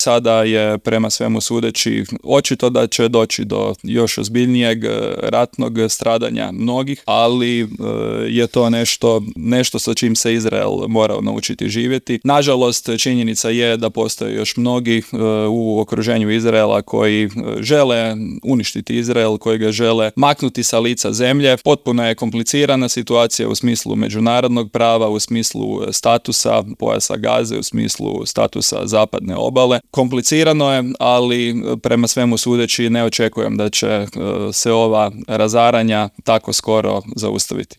Sada je prema svemu sudeći očito da će doći do još ozbiljnijeg ratnog stradanja mnogih, ali je to nešto sa čim se Izrael morao naučiti živjeti. Nažalost, činjenica je da postoje još mnogi u okruženju Izraela koji žele uništiti Izrael, koji ga žele maknuti sa lica zemlje. Potpuno je komplicirana situacija u smislu međunarodnog prava, u smislu statusa pojasa Gaze, u smislu statusa zapadne obale. Komplicirano je, ali prema svemu sudeći ne očekujem da će se ova razaranja tako skoro zaustaviti.